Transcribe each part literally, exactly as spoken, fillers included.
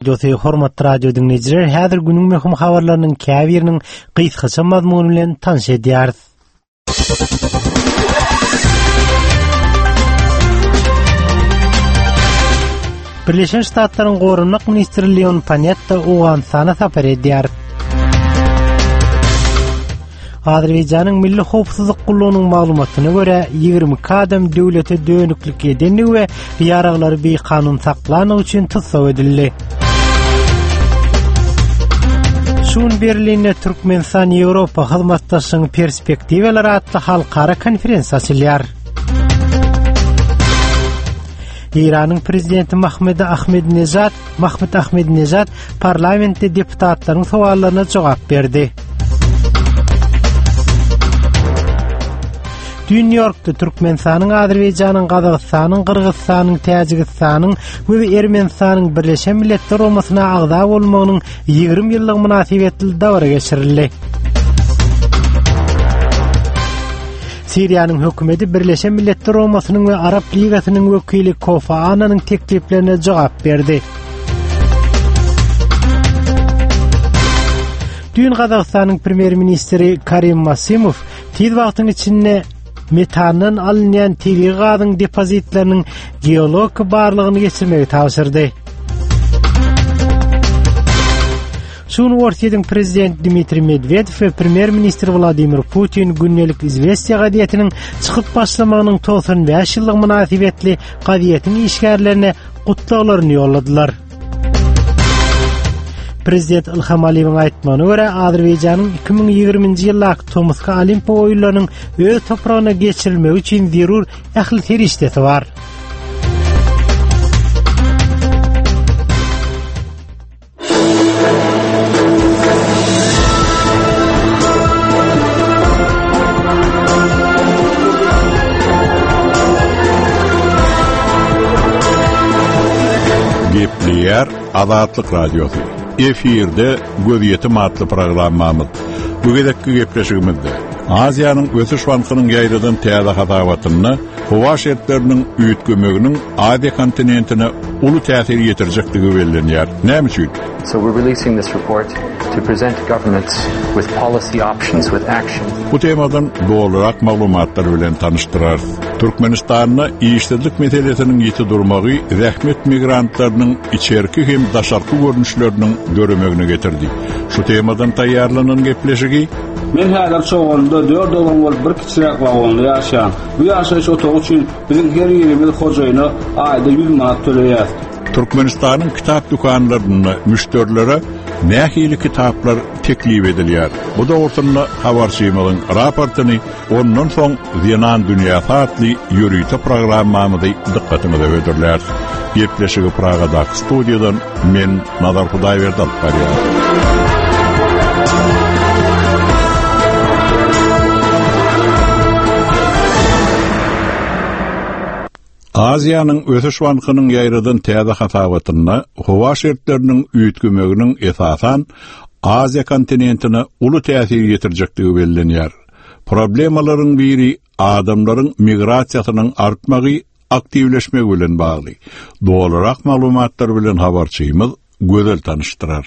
Radiosy, hormatly radio diňleýjiler, häzir günüň möhüm habarlarynyň käbiriniň gysgaça mazmuny bilen tanyş edýäris. Birleşen Ştatlaryň Goranmak ministri Leon Panetta Owganystana sapar edýär. Azerbaýjanyň Milli howpsuzlyk gullugynyň maglumatyna görä, ýigrimi iki adam döwlete dönüklik edenligi we ýaraglary bikanun saklanlygy üçin tussag edildi. Şu gün Berlinde Türkmenistan-Ýewropa hyzmatdaşlygyň perspektiwalary atly halkara konferensiýa açylýar. Eýranyň prezidenti Mahmud Ahmedinejad Mahmud Ahmedinejad parlamentde deputatlaryň sowallaryna jogap berdi. Düýn Nýu-Ýorkda Türkmenistanyň, Azerbaýjanyň, Gazagystanyň, Gyrgyzystanyň, Täjigistanyň we Ermenistanyň Birleşen Milletler Guramasyna agza bolmagynyň ýigrimi ýyllygy mynasybetli dabara geçirildi. Siriýanyň hökümeti Birleşen Milletler Guramasynyň we Arap Ligasynyň wekili Kofi Annanyň tekliplerine jogap berdi. Düýn Gazagystanyň premýer-ministri Karim Masimow tiz wagtyň içinde metandan alynýan tebigy gazyň depozitleriniň geologik barlagyny geçirmegi tabşyrdy. Şu gün Orsýetiň prezidenti Dmitriý Medwedew we premýer-ministr Wladimir Putin gündelik Izwestiýa gazetiniň çykyp başlamagynyň togsan bäş ýyllygy mynasybetli gazetiň işgärlerine gutlaglaryny ýolladylar. Prezident Ilham Aliýewiň aýtmagyna görä, Azerbaýjanyň iki müň ýigriminji ýyldaky tomusky Olimpiýa oýunlarynyň öz topragyna geçirilmegi üçin zerur ähli serişdesi bar. Gepleýär Azatlyk Radiosy. Efirde Gözýetim atly programmamyz. Bu gezekki gepleşigimizde Aziýanyň Ösüş bankynyň ýaýradan täze hasabatynda howa şertleriniň üýtgemeginiň Aziýa kontinentine uly täsir ýetirjekdigi bellenýär. Näme üçin? So we're releasing this report to present governments with policy options, with action. Bu temadan dolurak maglumatlar bilen tanyşdyrarys. Türkmenistanda işsizlik meselesiniň ýiti durmagy zähmet migrantlarynyň içerki hem daşarky görnüşleriniň döremegine getirdi. Şu temadan taýýarlanan gepleşigi Men häzir Çoganlyda dört oglan bolup bir kiçiräk wagonda ýaşaýan. Bu ýaşaýyş otagy üçin biziň her birimiz hojaýyna aýda ýüz manat töleýäs. Türkmenistanyň kitap dükanlarynda müşderilere nähili kitaplar teklip edilýär? Bu dogrusynda habarçymyzyň raportyny, ondan soň Zenan dünýäsi atly ýörite programmamyzy dykgatyňyza hödürläris. Gepleşigi Pragadaky studiýadan men Nazar Hudaýberdi alyp barýan. Aziýanyň Ösüş bankynyň ýaýradan täze hasabatynda howa şertleriniň üýtgemeginiň esasan Aziýa kontinentine uly täsir ýetirjekdigi bellenýär. Problemalaryň biri adamlaryň migrasiýasynyň artmagy, aktiwleşmegi bilen bagly. Dolurak maglumatlar bilen habarçymyz Gözel tanyşdyrar.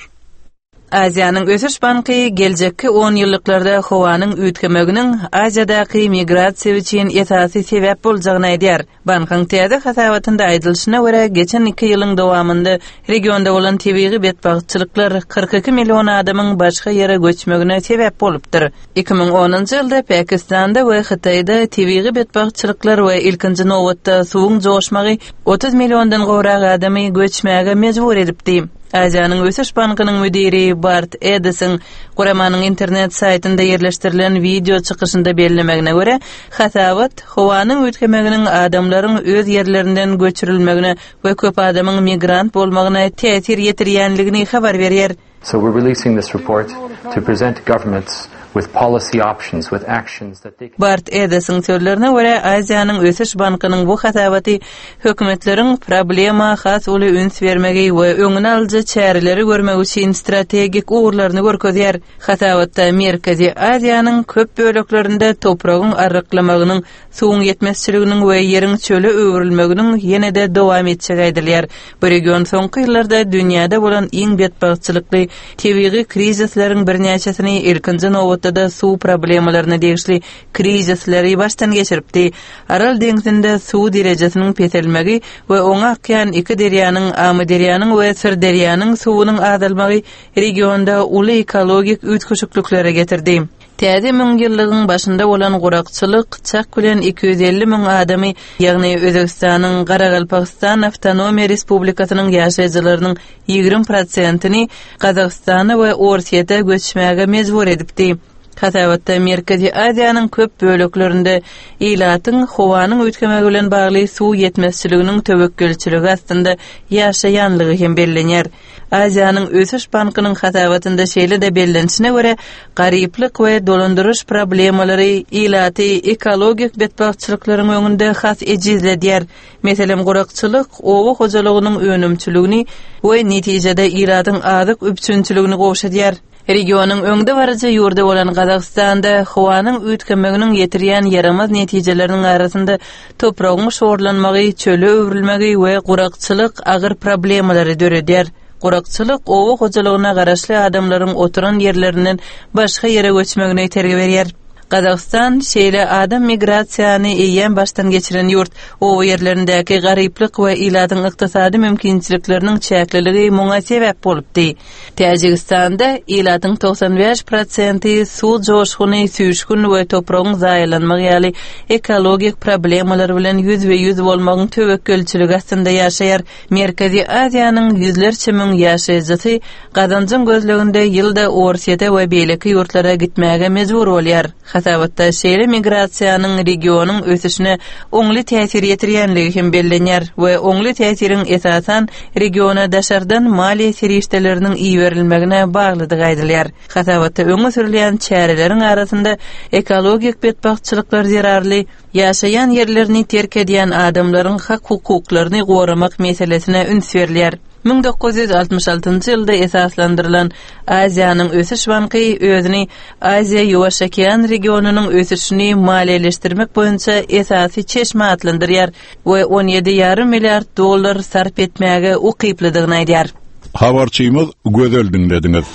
Aziýanyň Ösüş banky geljekki onýyllyklarda howanyň üýtgemeginiň Aziýadaky migrasiýa üçin esasy sebäp boljagyny aýdýar. Bankyň täze hasabatynda aýdylyşyna görä, geçen iki ýylyň dowamynda regionda bolan tebigy betbagtçylyklar kyrk iki million adamyň başga ýere göçmegine sebäp bolupdyr. Iki müň onunjy ýylda Pakistanda we Hytaýda tebigy betbagtçylyklar we ilkinji nobatda suwuň joşmagy otuz milliondan gowrak adamy göçmäge mejbur edipdi. Aziýanyň Ösüş bankynyň müdiri Bart Edisiň guramanyň internet saýtynda ýerleşdirilen wideo çykyşynda bellemegine görä, hasabat howanyň üýtgemeginiň adamlaryň öz ýerlerinden göçürilmegine we köp adamyň migrant bolmagyna täsir ýetirýänligini habar berýär. So we're releasing this report to present governments with policy options, with actions that they can Bart Edesiň sözlerine görä, Aziýanyň Ösüş bankynyň bu hasabaty hökümetleriň problema has uly üns bermegi we öňüni alyjy çäreleri görmegi üçin strategik ugurlaryny görkezýär. Hasabatda Merkezi Aziýanyň köp böleklerinde topragyň arryklamagynyň, suwuň ýetmezçiliginiň we ýeriň çöle öwrülmeginiň ýene-de dowam etjegi aýdylýar. Bu region soňky ýyllarda dünýäde bolan iň betbagtçylykly tebigy krizisleriň birnäçesini, ilkinji nobatda-da suw problemalaryna degişli krizisleri başdan geçiripdi. Aral deňzinde suw derejesiniň peselmegi we oňa akýan iki derýanyň, Amyderýanyň we Syrderýanyň suwunyň azalmagy regionda uly ekologik üýtgeşikliklere getirdi. Täze müňýyllygyň başynda bolan gurakçylyk çak bilen iki ýüz elli müň adamy, ýagny Özbegistanyň Garagalpagystan Awtonomiýa Respublikasynyň ýaşaýjylarynyň ýigrimi prosentini Gazagystana we Orsýete göçmäge mejbur edipdi. Hasabatda Merkezi Aziýanyň köp böleklerinde ilatyň howanyň üýtgemegi bilen bagly suw ýetmezçiliginiň töwekgelçiligi astynda ýaşaýanlygy hem bellenýär. Aziýanyň Ösüş bankynyň hasabatynda şeýle-de bellenişine görä, garyplyk we dolandyryş problemalary ilaty ekologik betbagtçylyklaryň öňünde has ejizledýär. Meselem, gurakçylyk oba hojalygynyň önümçiligini we netijede ilatyň azyk üpjünçiligini gowşadýar. Regionyň öňdebaryjy ýurdy bolan Gazagystanda howanyň üýtgemeginiň ýetirýän ýaramaz netijeleriniň arasynda topragyň şorlanmagy, çöle öwrülmegi we gurakçylyk agyr problemalary döredýär. Gurakçylyk oba hojalygyna garaşly adamlaryň oturan ýerlerinden başga ýere göçmegine itergi berýär. Gazagystan şeýle adam migrasiýany eýýäm başdan geçiren ýurt. Oba ýerlerindäki garyplyk we ilatyň ykdysady mümkinçilikleriniň çäkliligi muňa sebäp bolupdy. Täjigistanda ilatyň togsan bäş prosenti suw joşguny, süýşgün we topragyň zaýalanmagy ýaly ekologik problemalar bilen ýüzbe-ýüz bolmagyň töwekgelçiligi astynda ýaşaýar. Merkezi Aziýanyň ýüzlerçe müň ýaşaýjysy gazanjyň gözleginde ýylda Orsýete we beýleki ýurtlara gitmäge mejbur bolýar. Hasabatda şeýle migrasiýanyň regionyň ösüşine oňly täsir ýetirýänligi hem bellenýär we oňly täsiriň esasan regiona daşardan maliýe serişdeleriniň iberilmegine baglydygy aýdylýar. Hasabatda öňe sürülýän çäreleriň arasynda ekologik betbagtçylyklar zerarly ýaşaýan ýerlerini terk edýän adamlaryň hak-hukuklaryny goramak meselesine üns berilýär. Müň dokuz ýüz altmyş altynjy ýylda esaslandyrylan Aziýanyň Ösüş banky özüni Aziýa-Ýuwaş okean regionynyň ösüşini maliýeleşdirmek boýunça esasy çeşme atlandyrýar we on ýedi ýarym milliard dollar sarp etmäge ukyplydygyny aýdýar. Habarçymyz Gözel diňlediňiz.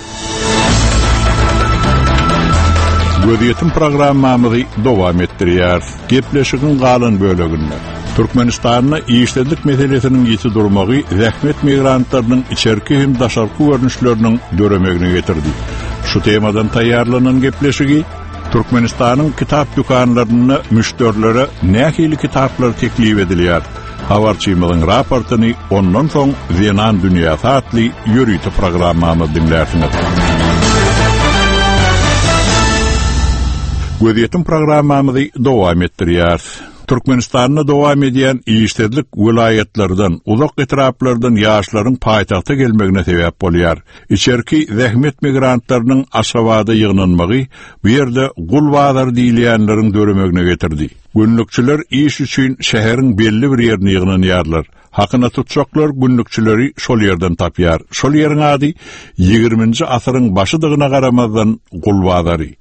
Gözýetim programmamyzy dowam etdirýär. Gepleşigiň galan böleginde Türkmenistanda işsizlik meselesiniň ýiti durmagy zähmet migrantlarynyň içerki hem daşarky görnüşleriniň döremegine getirdi. Şu temadan taýýarlanan gepleşigi Türkmenistanyň kitap dükanlarynda müşderilere nähili kitaplar teklip edilýär? Habarçymyzyň raportyny ondan soň Zenan dünýäsi atly ýörite programmamyz diňlärsiňiz. Gözýetim programmamyzy dowam etdirýär. Türkmenistanda dowam edýän işsizlik welaýatlardan, uzak etraplardan ýaşlaryň paýtagta gelmegine sebäp bolýar. Içerki zähmet migrantlarynyň Aşgabada ýygnanmagy bu ýerde gul bazar diýilýänleriň döremegine getirdi. Günlükçiler iş üçin şäheriň belli bir ýerine ýygnanýarlar. Hakyna tutjaklar günlükçileri şol ýerden tapýar. Şol ýeriň ady ýigriminji asyryň başydygyna garamazdan gul bazary.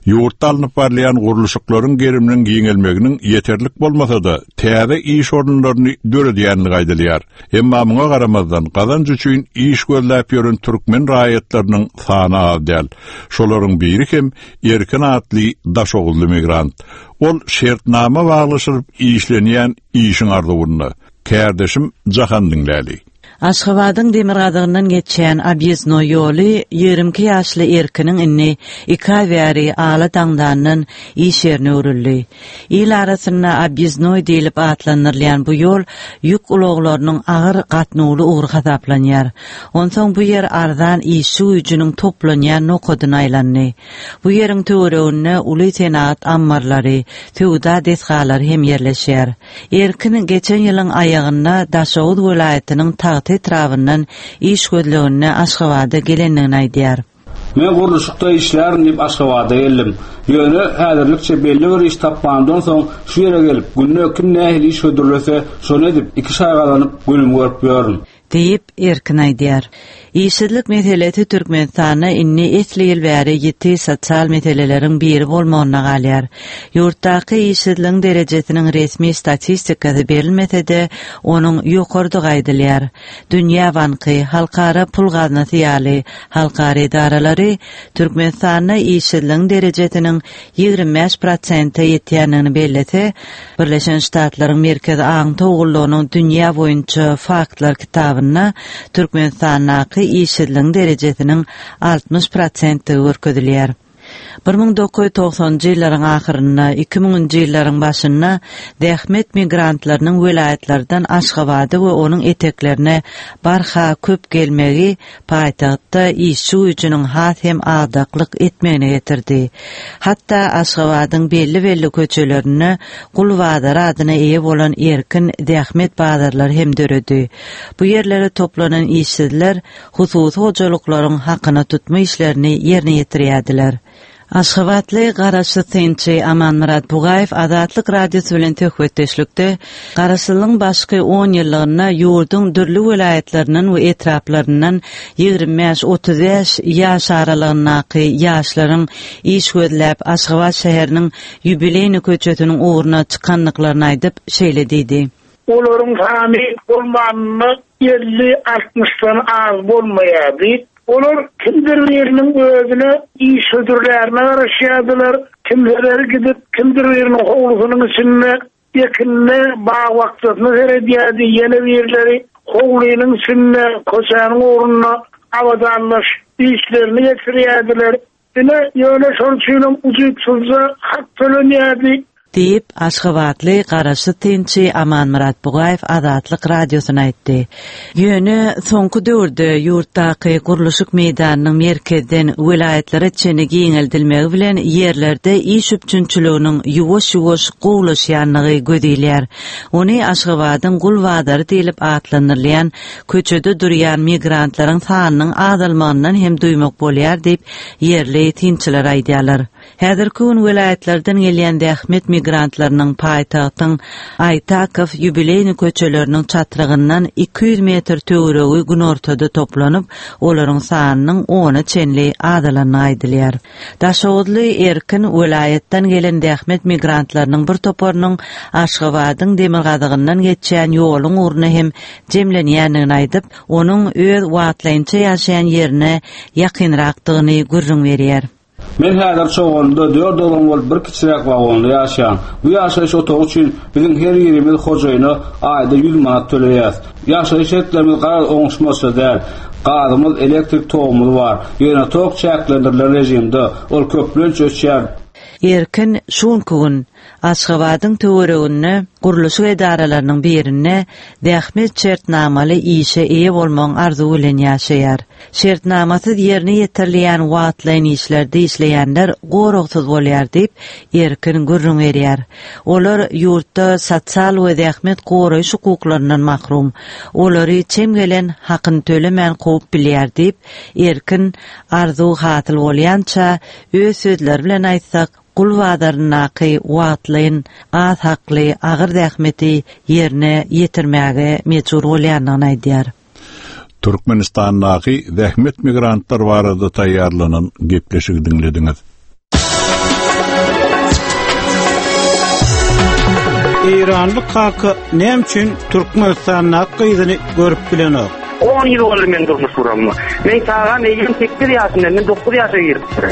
Ýurtda alnyp barylýan gurluşyklaryň geriminiň giňelmeginiň ýeterlik bolmasa-da täze iş orunlaryny döredýänligi aýdylýar. Emma muňa garamazdan gazanç üçin iş gözläp ýören türkmen raýatlarynyň sany az däl. Şolaryň biri hem Erkin atly Daşoguzly migrant. Ol şertnama baglaşyp işlenýän işiň arzuwynda. Kärdeşim Jahan diňläli. Aşgabadyň demirgazygyndan geçýän Obýezdnoý ýoly ýigrimi iki ýaşly Erkiniň indi iki aý bäri ala daňdandan iş ýerine öwrüldi. Il arasynda Obýezdnoý diýlip atlandyrylýan bu ýol ýük ulaglarynyň agyr gatnawly ugry hasaplanýar. Onsoň bu ýer arzan işçi güýjüniň toplanýan nokadyna aýlandy. Bu ýeriň töwereginde uly senagat ammarlary, söwda desgalary hem ýerleşýär. Erkin geçen ýylyň aýagynda Daşoguz welaýatynyň Tagta etrabyndan iş gözleginde Aşgabada gelendigini aýdýar. Men gurluşykda işlärin diýip Aşgabada geldim. Ýöne häzirlikçe belli bir iş tapmandan soň şu ýere gelip, günde kim nähili iş hödürlese, şony edip iki şaý gazanyp günüm görüp ýörün. Diýip Erkin aýdýar. Işsizlik meselesi Türkmenistanda indi esli ýyl bäri ýiti sosial meseleleriň biri bolmagyna galýar. Ýurtdaky işsizligiň derejesiniň resmi statistikasy berilmese-de, onuň ýokardygy aýdylýar. Dünýä Banky, Halkara Pul Gaznasy ýaly halkara edaralary Türkmenistanda işsizligiň derejesiniň ýigrimi bäş prosente ýetýändigini bellese, Birleşen Ştatlaryň Merkezi Aňtaw gullugynyň dünýä boýunça faktlar kitabynda Türkmenistandaky işsizligiň derejesiniň altmyş prosentdigi görkezilýär. Bir müň dokuz ýüz togsanjy ýyllaryň ahyrynda, iki müňünji ýyllaryň başynda zähmet migrantlarynyň welaýatlardan Aşgabada we onuň eteklerine barha köp gelmegi paýtagtda işçi güýjüniň has hem agdaklyk etmegine getirdi. Hatda Aşgabadyň belli-belli köçelerinde gul bazary adyna eýe bolan erkin zähmet bazarlary hem döredi. Bu ýerlere toplanan işsizler hususy hojalyklaryň hakyna tutma işlerini ýerine ýetirýärdiler. Aşgabatly garaşsyz synçy Amanmyrat Bugaýew Azatlyk Radiosy bilen söhbetdeşlikde Garaşsyzlygyň başky on ýyllygynda ýurduň dürli welaýatlaryndan we etraplaryndan ýigrimi bäş otuz bäş ýaş aralygyndaky ýaşlaryň iş gözläp Aşgabat şäheriniň Ýubileýni köçesiniň ugruna çykandyklaryny aýdyp, şeýle diýdi. Olaryň sany bolmanynda elli altmyşdan az bolmaýardy. Olar kimdir biriniň özüne iş hödürlerine garaşýardylar, kimseleri gidip kimdir biriniň howlusynyň içinde ekinine, bag-bakjasyna seredýärdi, ýene birleri howlynyň içinde, köçäniň ugrunda abadanlaş işlerini geçirýärdiler. Ine, ýöne şol üçinem ujypsyzja hak tölenýärdi. Diýip, Aşgabatly garaşsyz synçy Amanmyrat Bugaýew Azatlyk Radiosyna aýtdy. Ýöne soňky döwürde ýurtdaky gurluşyk meýdanynyň merkezden welaýatlara çenli giňeldilmegi bilen ýerlerde iş üpjünçiliginiň ýuwaş-ýuwaş gowulaşýandygy göz ilýär. Ony Aşgabadyň gul bazary diýlip atlandyrylýan köçede durýan migrantlaryň sanynyň azalmagyndan hem duýmak bolýar diýip, ýerli synçylar aýdýarlar. Häzirki gün welaýatlardan gelýän zähmet migrantlarynyň paýtagtyň Aýtakow Ýubileýni köçeleriniň çatrygyndan iki ýüz metr töweregi günortada toplanyp, olaryň sanynyň ona çenli azalandygy aýdylýar. Daşoguzly Erkin welaýatdan gelen zähmet migrantlarynyň bir toparynyň Aşgabadyň demirgazygyndan geçýän ýoluň ugruna hem jemlenýändigini aýdyp, onuň öz wagtlaýynça ýaşaýan ýerine ýakynrakdygyny gürrüň berýär. Men häzir Çoganlyda dört oglan bolup bir kiçiräk wagonda ýaşaýan. Bu ýaşaýyş otagy üçin biziň her birimiz hojaýyna aýda ýüz manat töleýäs. Ýaşaýyş şertlerimiz garaz oňuşmazça däl. Gazymyz, elektrik togumyz bar. Ýöne tok çäklendirilen rejimde, ol köplenç öçýär. Erkin şu günki gün Aşgabadyň töwereginde gurluşyk edaralarynyň birinde zähmet şertnamaly işe eýe bolmagyň arzuwy bilen ýaşaýar. Şertnamasyz ýerine ýetirilýän wagtlaýyn işlerde işleýänler goragsyz bolýar diýip, Erkin gürrüň berýär. Olar ýurtda sosial we zähmet goraýyş hukuklaryndan mahrum. Olary çem gelen hakyny tölemän kowup bilýär diýip, Erkin arzuw hasyl bolýança öz sözleri bilen aýtsak, gul bazaryndaky wagtlaýyn az hakly agyr zähmeti ýerine ýetirmäge mejbur bolýandygyny aýdýar. Türkmenistandaky zähmet migrantlar barada taýýarlanan gepleşigi diňlediňiz. Eýranly kaka näme üçin Türkmenistandaky gyzyny görüp bilenok? On ýyl boldy men durmuş guramyma. Men çagam eýýäm sekiz ýaşynda, men dokuz ýaşa giripdir.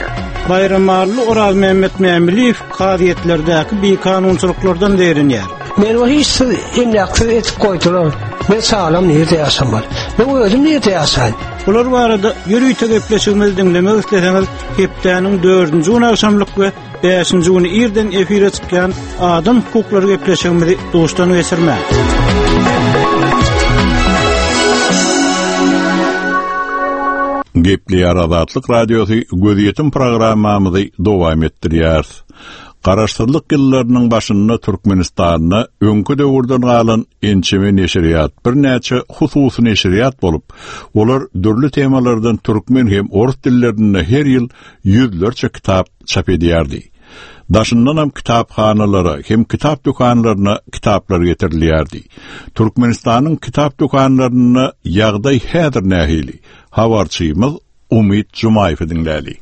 Baýramally Orazmämmet Mämiliýew kazyýetlerdäki bikanunçylyklardan zeýrenýär. Men o hiç siz emläksiz etip goýdular. Men sağlam nirde ýaşamaly? Men özüm nirde ýaşaýyn? Bular barada ýörite gepleşigimizi diňlemek isleseňiz, hepdäniň dördünji güni agşamlyk we bäşinji güni irden efire çykýan adam hukuklary gepleşigimizi duşdan geçirmäň. Gepleýär Azatlyk Radiosy gözýetim programmamyzy dowam etdirýär. Garaşsyzlyk ýyllarynyň başynda Türkmenistanda öňki döwürden galan ençeme neşirýat, birnäçe hususy neşirýat bolup, olar dürli temalardan türkmen hem orus dillerinde her ýyl ýüzlerçe kitap çap edýärdi. Daşyndanam kitaphanalara hem kitap dükanlaryna kitaplar getirilýärdi. Türkmenistanyň kitap dükanlarynda ýagdaý häzir nähili? Habarçymyz Umyt Jumaýewi diňläli.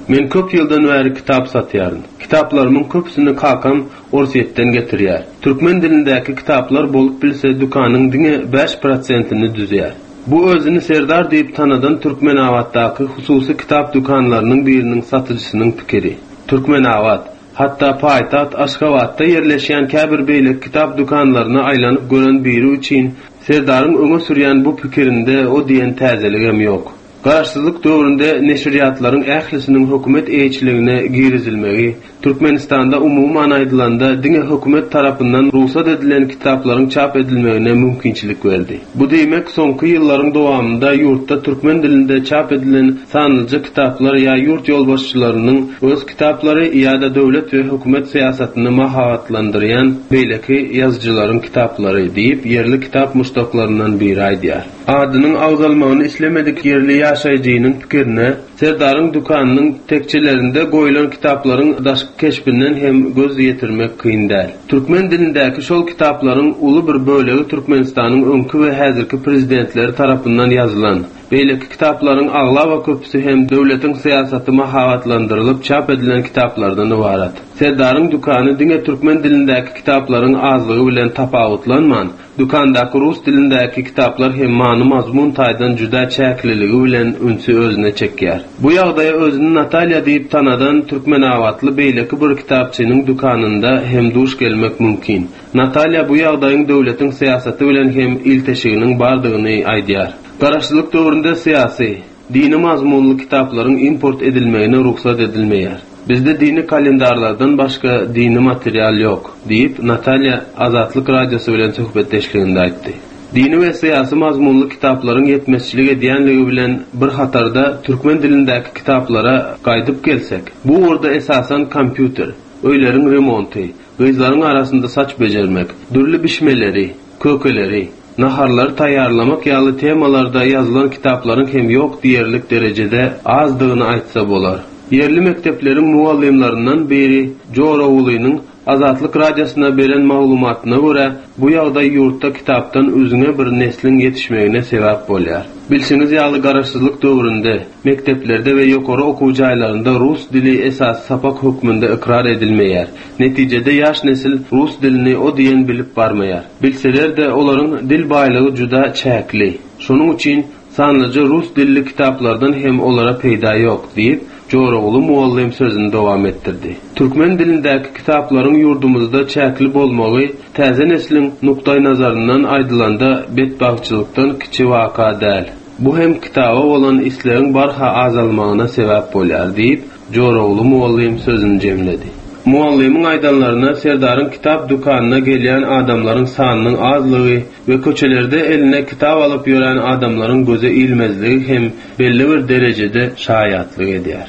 Men köp ýyldan bäri kitap satýaryn. Kitaplarymyň köpüsini kakam Orsýetden getirýär. Türkmen dilindäki kitaplar bolup bilse dükanyň diňe bäş prosentini düzýär. Bu özüni Serdar diýip tanadan Türkmenabatdaky hususy kitap dükanlarynyň biriniň satyjysynyň pikiri. Türkmenabat, hatda paýtagt Aşgabatda ýerleşýän käbir beýleki kitap dükanlaryna aýlanyp gören biri üçin Serdaryň öňe sürýän bu pikirinde o diýen täzeligem ýok. Garaşsyzlyk döwründe neşirýatlaryň ählisiniň hökümet eýeçiligine girizilmegi, Türkmenistanda umuman aýdylanda diňe hökümet tarapyndan rugsat edilen kitaplaryň çap edilmegine mümkinçilik berdi. Bu diýmek, soňky ýyllaryň dowamynda ýurtda türkmen dilinde çap edilen sanlyja kitaplar ýa ýurt ýolbaşçylarynyň öz kitaplary ýa-da döwlet we hökümet syýasatyny mahabatlandyrýan beýleki ýazyjylaryň kitaplary diýip, ýerli kitap muşdaklaryndan biri aýdýar. Adynyň agzalmagyny islemedik ýerli ýaşaýjynyň pikirine, Serdaryň dükanynyň tekçelerinde goýlan kitaplaryň daşky keşbinden hem göz ýetirmek kyn däl. Türkmen dilindäki şol kitaplaryň uly bir bölegi Türkmenistanyň öňki we häzirki prezidentleri tarapyndan ýazylan, beýleki kitaplaryň aglaba köpüsi hem döwletiň syýasaty mahabatlandyrylyp çap edilen kitaplardan ybarat. Serdaryň dükany diňe türkmen dilindäki kitaplaryň azlygy bilen tapawutlanman, dükandaky rus dilindäki kitaplar hem many-mazmun taýdan juda çäkliligi bilen ünsi özüne çekýär. Bu ýagdaýa özüni Natalýa diýip tanadan türkmenabatly beýleki bir kitapçynyň dükanynda hem duş gelmek mümkin. Natalýa bu ýagdaýyň döwletiň syýasaty bilen hem ilteşiginiň bardygyny aýdýar. Garaşsyzlyk döwründe syýasy, dini mazmunly kitaplaryň import edilmegine rugsat edilmeýär. Bizde dini kalendarlardan başga dini material ýok, diýip, Natalýa Azatlyk Radiosy bilen söhbetdeşliginde aýtdy. Dini we syýasy mazmunly kitaplaryň ýetmezçilik edýänligi bilen bir hatarda türkmen dilindäki kitaplara gaýdyp gelsek, bu ugurda esasan kompýuter, öýleriň remonty, gyzlaryň arasynda saç bejermek, dürli bişmeleri, kökeleri, naharlary taýýarlamak ýaly temalarda ýazylan kitaplaryň hem ýok diýerlik derejede azdygyny aýtsa bolar. Ýerli mekdepleriň mugallymlaryndan biri Jorogulynyň Azatlyk Radiosyna beren maglumatyna görä, bu ýagdaý ýurtda kitapdan üzňe bir nesliň ýetişmegine sebäp bolýar. Bilşiňiz ýaly garaşsyzlyk döwründe mekdeplerde we ýokary okuw jaýlarynda rus dili esasy sapak hökmünde ykrar edilmeýär. Netijede ýaş nesil rus dilini o diýen bilip barmaýar. Bilseler-de olaryň dil baýlygy juda çäkli. Şonuň üçin sanlyja rus dilli kitaplardan hem olara peýda ýok diýip, Joroguly mugallym sözüni dowam etdirdi. Türkmen dilindäki kitaplaryň ýurdumyzda çäkli bolmagy täze nesliň nukdaýnazaryndan aýdylanda betbagtçylykdan kiçi waka däl. Bu hem kitaba bolan islegiň barha azalmagyna sebäp bolýar diýip, Joroguly mugallym sözüni jemledi. Mugallymyň aýdanlaryna Serdaryň kitap dükanyna gelýän adamlaryň sanynyň azlygy we köçelerde eline kitap alyp ýören adamlaryň göze ilmezligi hem belli bir derejede şaýatlyk edýär.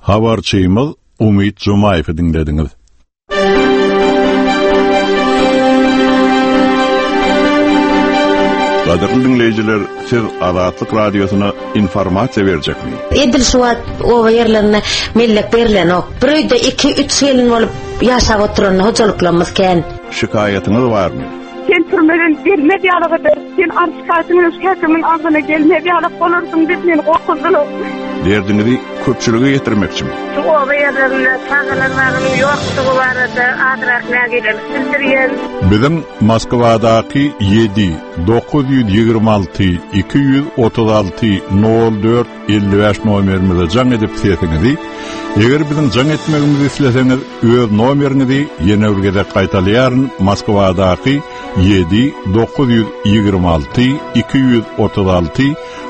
Habarçymyz Umyt Jumaýewi diňlediňiz. Gadyrly diňleýjiler, siz Azatlyk Radiosyna informasiýa berjekmi? Edil şu wagt oba ýerlerinde mellek berilenok. Bir öýde iki, üç gelin bolup ýaşap oturan hojalyklarymyz kän. Şikaýatyňyz barmy? Sen türmeden gelmez ýalyk eder. Sen arşkatyň öz häkimiň agzyna gelmez ýalyk bolarsyň diýip meni gorkuzdylar. Derdiňizi köpçülige ýetirmekçimi? Şu oba ýerlerinde çagalar bagynyň ýokdugy barada azrak nägilelik bildirýän. Biziň Moskwadaky ýedi dokuz ýüz ýigrimi alty iki ýüz otuz alty nol dört elli bäş nomerimize jaň edip sesiňizi, eger biziň jaň etmegimizi isleseňiz, öz nomeriňizi ýene bir gezek gaýtalaýaryn, Moskwadaky ýedi dokuz ýüz ýigrimi alty iki ýüz otuz alty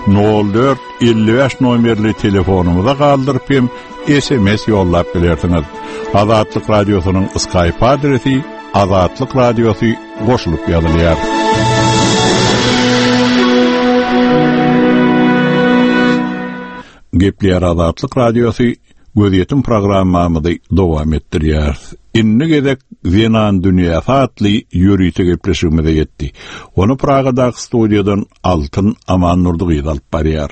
nol dört elli bäş nomerli telefonumyza galdyryp hem S M S ýollap bilersiňiz. Azatlyk Radiosynyň Skype adresi Azatlyk Radiosy goşulyp ýazylýar. Gepleýär Azatlyk Radiosy, Gözýetim programmamyzy dowam etdirýäris. Indi gezek Zenan dünýäsi atly ýörite gepleşigimize ýetdi. Ony Pragadaky studiýadan Altyn Amannurdy gyz alyp barýar.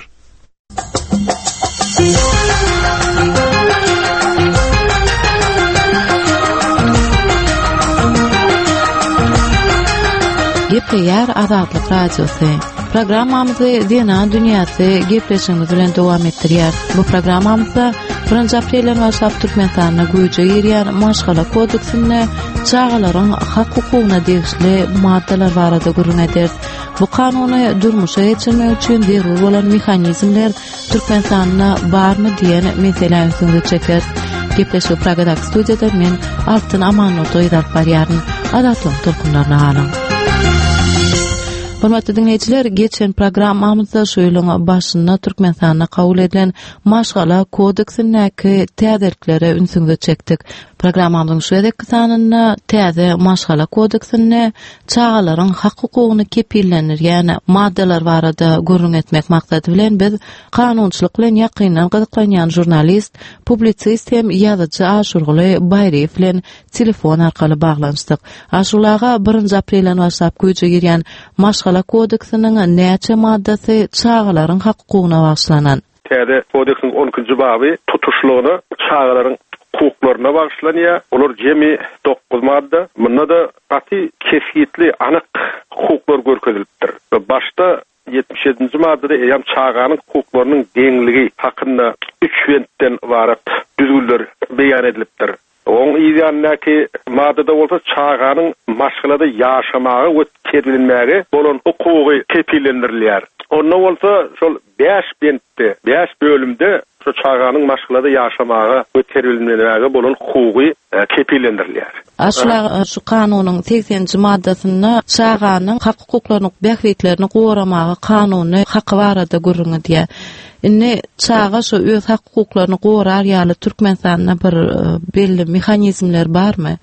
Gepleýär Azatlyk Radiosy. Programmamyzy Zenan dünýäsi gepleşigimiz bilen dowam etdirýär. Bu programmamyzda birinji aprelden başlap Türkmenistanda güýje girýän Maşgala kodeksinde çagalaryň hak hukugyna degişli maddalar barada gürrüň ederis. Bu kanuny durmuşa geçirmek üçin zerur bolan mehanizmler Türkmenistanda barmy diýen meselä ünsüňizi çekeris. Gepleşigi Pragadaky studiýada men Altyn Amannurdy gyz alyp barýaryn. Azatlygyň tolkunlaryna galyň. Hormatly dinleýjiler, geçen programmamyzda şu ýylyň başynda Türkmenistanda kabul edilen Maşgala kodeksindäki täzeliklere ünsüňizi çekdik. Programmamyzyň şu gezekki sanynda täze Maşgala kodeksinde çagalaryň hak hukugyny kepillendirýän maddalar barada gürrüň etmek maksady bilen biz kanunçylyk bilen ýakyndan gyzyklanýan žurnalist, publisist hem ýazyjy Aşurguly Baýryýew bilen telefon arkaly baglanyşdyk. Aşurguly aga, birinji aprelden başlap güýje girýän Maşgala kodeksiniň näçe maddasy çagalaryň hak hukugyna bagyşlanan? Täze kodeksiň on ikinji baby tutuşlygyna çagalaryň hukuklaryna bagyşlanýar. Olar jemi dokuz madda. Munda-da gaty kesgitli, anyk hukuklar görkezilipdir. Başda ýetmiş ýedinji maddada eýýäm çaganyň hukuklarynyň deňligi hakynda üç bentden ybarat düzgünler beýan edilipdir. Oň ýanyndaky maddada bolsa çaganyň maşgalada ýaşamaga we terbiýelenmäge bolan hukugy kepillendirilýär. Onda bolsa şol bäş bentde, bäş bölümde şu çaganyň maşgalada ýaşamaga we terbiýelenmäge bolan hukugy, e, kepillendirilýär. Aşla şu kanunyň segseninji maddasynda çaganyň hak hukuklaryny, bähbitlerini goramaga kanuny haky barada gürrüň edýär. Indi çaga şu öz hak hukuklaryny gorar ýaly Türkmenistanda bir, e, belli mehanizmler barmy?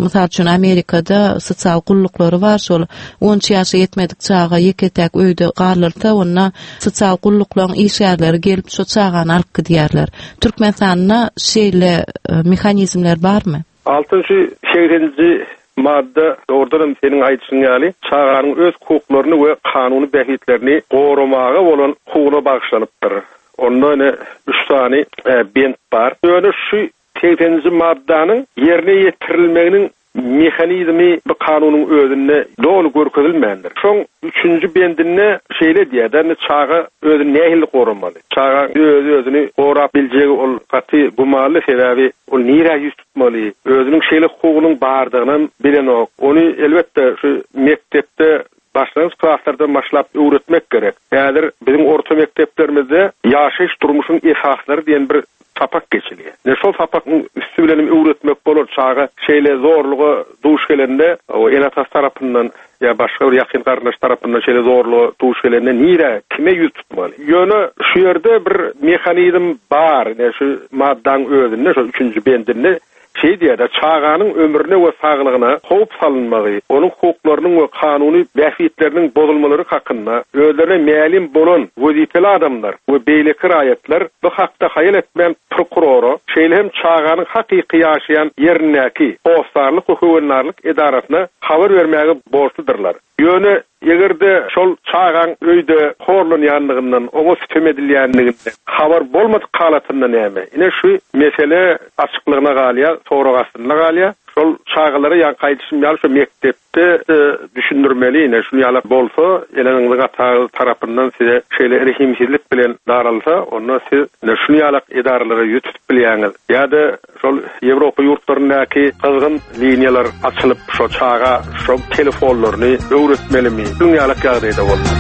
Mysal üçin Amerikada sosial gulluklary bar, şol on üç ýaşa ýetmedik çaga ýeke-täk öýde galyrsa, onda sosial gulluklaryň işgärleri gelip şu çagany alyp gidýärler. Türkmenistanda şeýle, e, mehanizmler barmy? Altynjy segseninji madda dogrudan hem seniň aýdyşyň ýaly çaganyň öz hukuklaryny we kanuny bähbitlerini goramaga bolan hukugyna bagyşlanypdyr. Onda ene üç sany, e, bent bar. Ýöne şu segseninji maddanyň ýerine ýetirilmeginiň mehanizmi bu kanunyň özünde doly görkezilmändir. Şoň üçünji bendinde şeýle diýýär, ýagny çaga özüni nähili goramaly? Çaga öz özüni gorap biljegi ol gaty gumanly, sebäbi ol nirä ýüz tutmaly? Özüniň şeýle hukugynyň bardygyny bilenok. Ony elbetde şu mekdepde başlangyç klaslardan başlap öwretmek gerek. Häzir biziň orta mekdeplerimizde ýaşaýyş durmuşyň esaslary diýen bir sapak geçilýär. Ne şol sapakyň üstü bilen öwretmek bolar çaga şeýle zorluga duş gelende, o ene-atasy tarapyndan ýa başga bir ýakyn garyndaş tarapyndan şeýle zorluga duş gelende nirä, kime ýüz tutmaly? Ýöne şu ýerde bir mehanizm bar. Ne şu maddaň özünde, şu üçünji bendinde şey diýär, çaganyň ömrüne we saglygyna howp salynmagy, onuň hukuklarynyň we kanuny bähbitleriniň bozulmalary hakynda özlerine mälim bolan wezipeli adamlar we beýleki raýatlar bu hakda haýal etmän prokurora, şeýle hem çaganyň hakyky ýaşaýan ýerindäki hossarlyk we höwendarlyk edarasyna habar bermäge borçludyrlar. Ýöne eger-de şol çagaň öýde horlanýanlygyndan, oňa sütem edilýänliginden habar bolmadyk halatynda näme? Ine şu mesele açyklygyna galýar, sorag astynda galýar. Şol çagalara ýa gaýdyşym ýaly şu mekdepde, e, düşündirmeli, ine şunu ýaly bolsa, eleniňiziň atagy tarapyndan size şeýle rehimsizlik bilen daralsa, onda siz ine şunu ýaly edaralara ýüz tutup bilýäňiz. Ýa-da şol Ýewropa ýurtlaryndaky gyzgyn liniýalar açylyp, şo çaga şo telefonlaryny öwretmelimi? Şuň ýaly ýagdaýda bolmaly.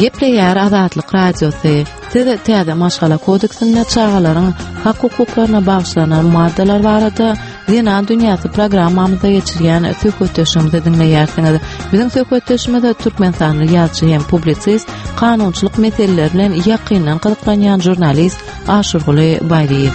Gepleýär Azatlyk Radiosy. Siz täze maşgala kodeksinde çagalaryň hak hukuklaryna bagyşlanan maddalar barada Zenan dünýäsi programmamyzda geçirýän söhbetdeşimizi diňleýärsiňiz. Biziň söhbetdeşimiz Türkmenistanly ýazyjy hem publisist, kanunçylyk meseleleri bilen ýakyndan gyzyklanýan žurnalist Aşurguly Baýryýew.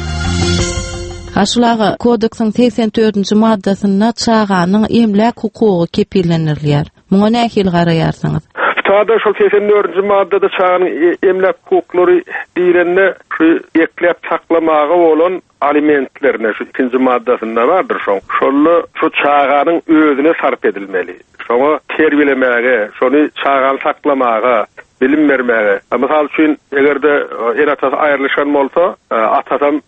Aşul aga, kodeksiň segsen dördünji maddasynda çaganyň emläk hukugy kepillendirilýär. Muňa nähili garaýarsyňyz? Şu şol seksen dördünji maddada çaganyň emläk hukuklary diýlende şu ekläp saklamaga bolan alimentlerine şu ikinji maddasynda bardyr şoň. Şonda şu çaganyň özüne sarp edilmeli. Şoňa terbiýelemäge, şony çagany saklamaga, bilim bermäge. Mysal üçin, eger-de ene-atasy aýrylyşan bolsa, atasam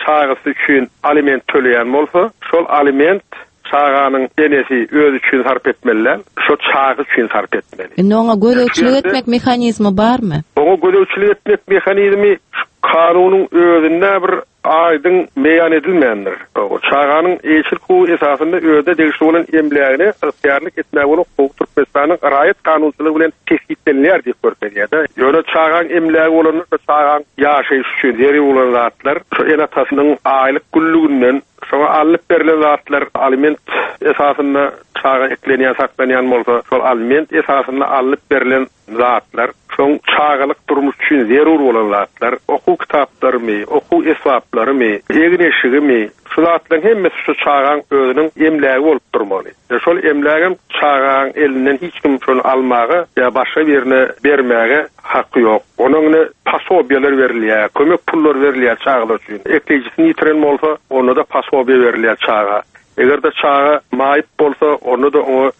çagasy üçin aliment töleýän bolsa, şol aliment çaganyň enesi öz üçin sarp etmeli, şo çaga üçin sarp etmeli. Indi oňa gözegçilik etmek mehanizmi barmy? Oňa gözegçilik etmek mehanizmi kanunyň özünde bir aýdyň beýan edilmändir. O çaganyň eýeçilik hukugy esasynda özüne degişli bolan emlägine ygtyýarlyk etmäge bolan hukuk Türkmenistanyň raýat kanunçylygy bilen kesgitlenilýär diýip görkezýär. Ýöne çagaň emlägi bolanda çagaň ýaşaýyş üçin zerur bolan zatlar şu ene-atasynyň aýlyk günlüginden şoňa alnyp berlen zatlar aliment esasynda çaga eklenýän, saklanýan bolsa, şol aliment esasynda alnyp berlen zatlar, şoň çagalyk durmuş üçin zerur bolan zatlar, okuw kitaplarymy, okuw esbaplarymy, egin-eşigimi, şu zatlaryň hemmesi şu çagaň özüniň emlägi bolup durmaly. E şol emlägem çagaň elinden hiç kim şony almaga ýa başga birine bermäge haky ýok. Onuň ne pasobiýalar berilýär, kömek pullar berilýär çagalar üçin. Eklejisini ýitiren bolsa, onda da pasobiýa berilýär çaga. Eger de çaga maýyp bolsa, onda da oňa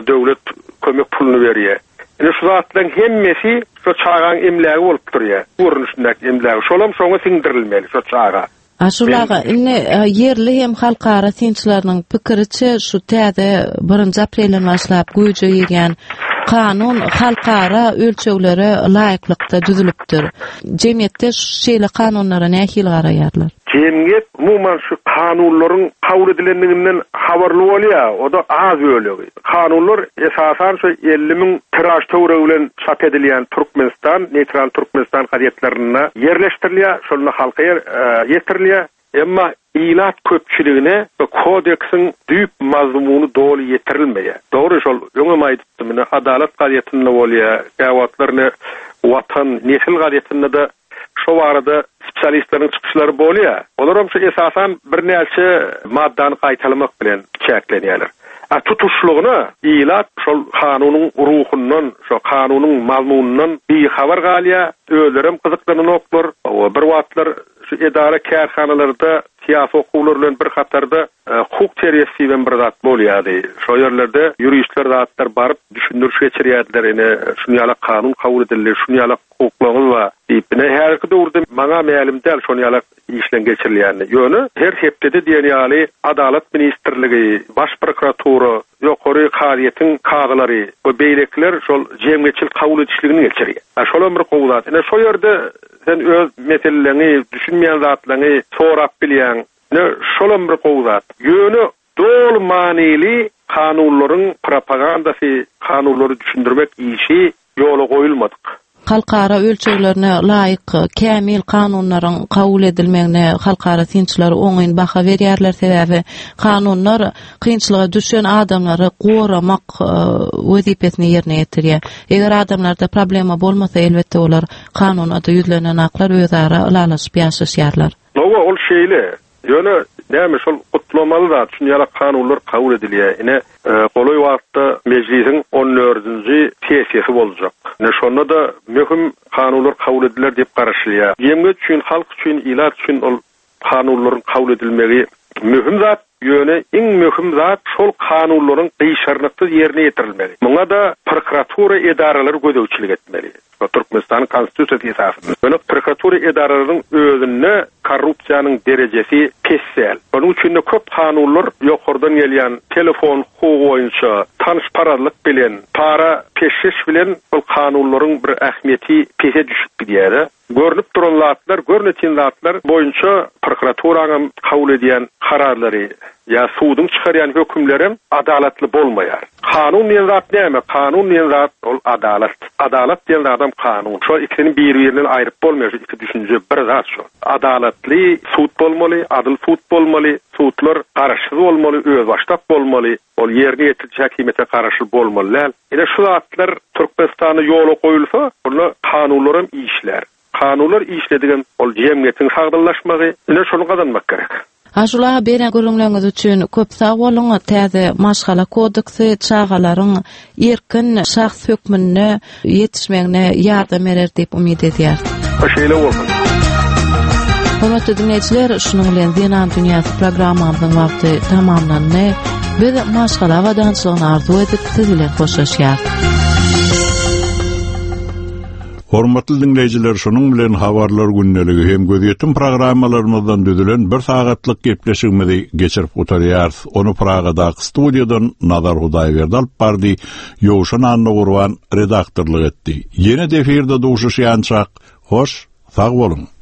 döwlet kömek puluny berýär. Ine şu zatlaryň hemmesi şu çagaň emlägi bolup durýar. Görnüşindäki emlägi. Şolam şoňa siňdirilmeli şu çaga. Aşulaga, indi ýerli hem halkara synçylarynyň pikiriçe şu täze birinji aprelden başlap güýje girýän kanun halkara ölçeglere laýyklykda düzülipdir. Jemgyýetde şeýle kanunlara nähili garaýarlar? Jemgyýet umuman şu kanunlaryň kabul edilenliginden habarly bolýar, o da az bölegi. Kanunlar esasan şu elli müň tiraž töweregi bilen çap edilýän Türkmenistan, Neýtral Türkmenistan gazetlerinde ýerleşdirilýär, şonda halka ýetirilýär. Emma ilat köpçüligine bu kodeksiň düýp mazmuny doly ýetirilmeýär. Dogry şol öňem aýdypdym, ine Adalat gazetinde bolýar, käwagtlar ine Watan, Nesil gazetinde de şo barada spesialistleriň çykyşlary bolýar. Olar hem şu esasan birnäçe maddany gaýtalamak bilen çäklenýärler. A tutuşlygyna ilat şol kanunyň ruhundan, şo kanunyň mazmunyndan bihabar galýar, özlerem gyzyklananoklar. O bir wagtlar şu edara kärhanalarda siyasi okuwlar bilen bir hatarda hukuk terbiýesi diýen bir zat bolýardy. Şo ýerlerde ýörişler zatlar baryp düşündiriş geçirýärdiler. Ine şuny ýaly kanun kabul edildi, şuny ýaly hukuklaryňyz bar diýip. Ine häzirki döwürde maňa mälim däl şuny ýaly işleň geçirilýänini. Ýöne her hepdede diýen ýaly Adalat ministrligi, Baş prokuratura, ýokary kazyýetiň kazylary we beýlekiler şol jemgyýetçilik kabul edişligini geçirýär. Şol bir gowy zat. Ine şo ýerde sen öz meselelerini, düşünmeýän zatlaryňy sorap bilýän. Ne şol bir gowy zat. Ýöne doly manyly kanunlaryň propagandasy, kanunlary düşündirmek işi ýola goýulmadyk. Halkara ölçeglerine laýyk kämil kanunlaryň kabul edilmegine halkara synçylary oňyn baha berýärler, sebäbi kanunlar kynçylyga düşen adamlary goramak wezipesini ýerine ýetirýär. Eger adamlarda problema bolmasa, elbetde olar kanuna da ýüzlenen aklar özara ylalaşyp ýaşaşýarlar. Nowa ol şeýle. Ýöne näme şol gutlamaly zat, şuny ýaly kanunlar kabul edilýär. Ine golaý wagtda mejlisiň on dördünji sessiýasy boljak. Ine şonda da möhüm kanunlar kabul ediler diýip garaşylýar. Jemgyýet üçin, halk üçin, ilat üçin ol kanunlaryň kabul edilmegi möhüm zat. Ýöne iň möhüm zat şol kanunlaryň gyşarnyksyz ýerine ýetirilmegi. Muňa da prokuratura edaralary gözegçilik etmeli. Türkmenistanyň konstitusiýasy esasynda. Ýöne prokuratura edaralarynyň özünde korrupsiýanyň derejesi pes däl. Onuň üçin de köp kanunlar ýokardan gelýän telefon hukugy boýunça tanyşparazlyk bilen, para peşgeş bilen ol kanunlaryň bir ähmiýeti pese düşüp gidýär. Görnüp duran zatlar, görnetin zatlar boýunça prokuraturanyň kabul edýän kararlary ýa suduň çykarýan hökümleri adalatly bolmaýar. Kanun diýen zat näme? Kanun diýen zat ol adalat. Adalat diýen zadam kanun. Şo ikisini bir-birinden aýryp bolmaýar, şu iki düşünje bir zat şo. Adalatly sud bolmaly, adyl sud bolmaly, sudlar garaşsyz bolmaly, özbaşdak bolmaly, ol ýerine ýetiriji häkimiýete garaşly bolmaly däl. Ine şu zatlar Türkmenistanda ýola goýulsa, onda kanunlaram işler. Kanunlar işledigem ol jemgyýetiň sagdynlaşmagy, ine şonu gazanmak gerek. Aşula beren gürrüňleriňiz üçin köp sag boluň. Täze maşgala kodeksi çagalaryň erkin şahs hökmünde ýetişmegine ýardam berer diýip umyt edýäris. Şeýle bolsun. Hormatly diňleýjiler, şunuň bilen Zenan dünýäsi programmamyzyň wagty tamamlandy. Biz maşgala abadançylygyny arzuw edip siz bilen hoşlaşýarys. Hormatly diňleýjiler, şunuň bilen habarlar gündeligi hem gözýetim programmalarymyzdan düzülen bir sagatlyk gepleşigimizi geçirip gutarýarys. Ony Pragadaky studiýadan Nazar Hudaýberdi alyp bardy, Ýowşan Annagurban redaktorlyk etdi. Ýene efirde duşuşýançak, hoş, sag boluň.